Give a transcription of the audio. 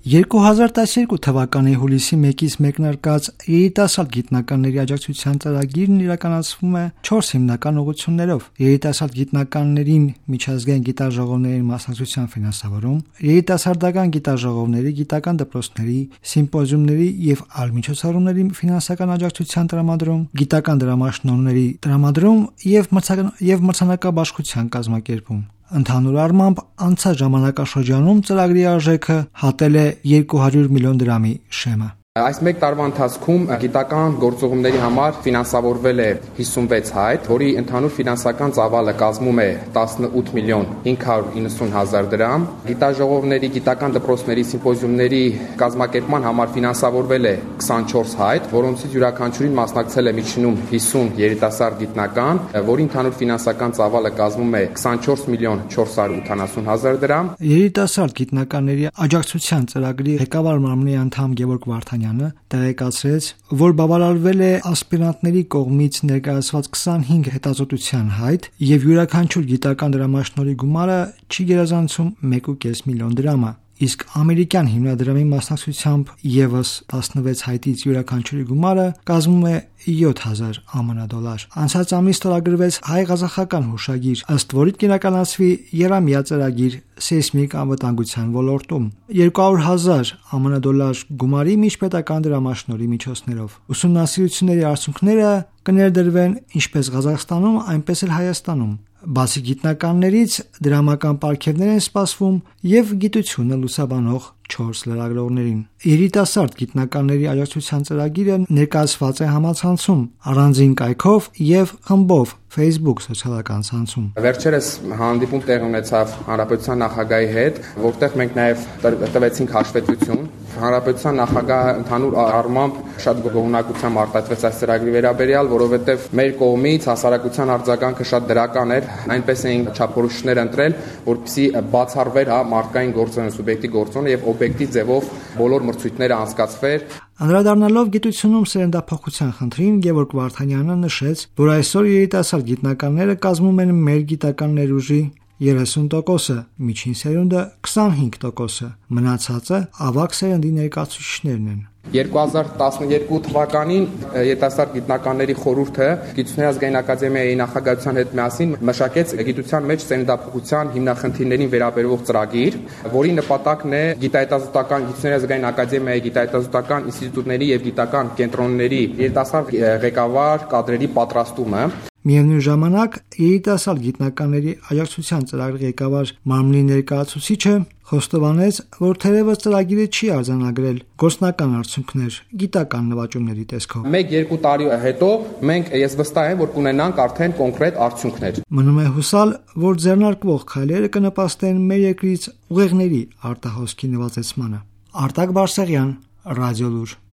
2012 թվականի հուլիսի 1-ից մեկնարկած երիտասարդ գիտնականների աջակցության ծրագիրն իրականացվում է 4 հիմնական ուղղություններով՝ երիտասարդ գիտնականներին միջազգային գիտաժողովների մասնակցության ֆինանսավորում, երիտասարդական գիտաժողովների, գիտական դպրոցների, սիմպոզիումների եւ այլ միջոցառումների ֆինանսական աջակցության տրամադրում, գիտական դրամաշնորհների տրամադրում եւ մրցանակաբաշխության կազմակերպում։ Ընդհանուր առմամբ անցած ժամանակաշրջանում ծրագրի արժեքը հատել է 200 միլիոն դրամի շեմը։ Այս մեկ տարվա ընթացքում գիտական գործողումների համար ֆինանսավորվել է 56 հայտ, որի ընդհանուր ֆինանսական ծավալը կազմում է 18 միլիոն 590 հազար դրամ։ Գիտաժողովների, գիտական դպրոցների, սիմպոզիումների կազմակերպման համար ֆինանսավորվել է 24 հայտ, որոնցից յուրաքանչյուրին մասնակցել է միջինում 50 երիտասարդ գիտնական, որի ընդհանուր ֆինանսական ծավալը կազմում է 24 միլիոն 480 հազար դրամ։ Երիտասարդ գիտնականների աջակցության ծրագրի ղեկավար մարմնի անդամ Գևորգ Վարդանյանը տեղեկացրեց, որ բավարարվել է ասպիրանտների կողմից ներկայացված 25 հետազոտության հայտ եւ յուրաքանչյուր գիտական դրամաշնորհի գումարը չի գերազանցում 1.5 միլիոն դրամը, իսկ ամերիկյան հիմնադրամի մասնակցությամբ եւս 16 հայտից յուրաքանչյուրի գումարը կազմում է 7000 ԱՄՆ դոլար։ Անցած ամիս ստորագրվեց հայ-ղազախական հուշագիր, ըստ որի կիրականացվի եռամյա ծրագիր սեյսմիկ անվտանգության ոլորտում 200,000 ԱՄՆ դոլար գումարի միջպետական դրամաշնորհի միջոցներով։ Ուսումնասիրությունների արդյունքները կներդրվեն ինչպես Ղազախստանում, այնպես էլ Հայաստանում։ Բացի գիտնականներից դրամական պարգևներ են սպասվում եւ գիտությունը լուսաբանող 4 լրագրողներին։ Երիտասարդ գիտնականների աջակցության ծրագիրը ներկայացված է համացանցում, առանձին կայքով եւ խմբով Facebook սոցիալական ցանցում։ Վերջերս հանդիպում տեղ ունեցավ Հանրապետության նախագահի հետ, որտեղ մենք նաեւ տվեցինք հաշվետվություն։ Հանրապետության նախագահը ընդհանուր առմամբ շատ գոհունակությամբ արտահայտվեց այս ծրագրի վերաբերյալ, որովհետեւ մեր կողմից հասարակության արձագանքը շատ դրական էր, այնպես էին չափորոշիչներ ընտրել, որպեսզի բացառվեր մարդկային գործոնը, սուբյեկտի գործոնը եւ օբյեկտիվ ձևով բոլոր մրցույթները անցկացվեր։ Անդրադառնալով գիտությունում սերնդափոխության խնդրին, Գևորգ Վարդանյանը նշեց, որ այսօր երիտասարդ գիտնականները կազմում են մեր գիտական ներուժի 30%, միջին սերունդը 25%, մնացածը ավագ սերնդի ներկայացուցիչներն են։ 2012 թվականին Երիտասարդ գիտնականների խորհուրդը Գիտությունների ազգային ակադեմիայի նախագահության հետ միասին մշակեց գիտության մեջ սերնդափոխության հիմնախնդիրներին վերաբերող ծրագիր, որի նպատակն է գիտահետազոտական Գիտությունների ազգային ակադեմիայի գիտահետազոտական ինստիտուտների եւ գիտական կենտրոնների երիտասարդ ղեկավար կադրերի պատրաստումը։ Միևնույն ժամանակ երիտասարդ գիտնականների աջակցության ծրագրի ղեկավար մարմնի ներկայացուցիչը խոստովանեց, որ թերևս ծրագիրը չի արձանագրել գործնական արդյունքներ գիտական նվաճումների տեսքով։ 1-2 տարի հետո ես վստահ եմ, որ կունենանք արդեն կոնկրետ արդյունքներ։ Մնում է հուսալ, որ ձեռնարկվող քայլերը կնպաստեն մեր երկրից ուղեղների արտահոսքի նվազեցմանը։ Արտակ Բարսեղյան, Ռադիոլուր։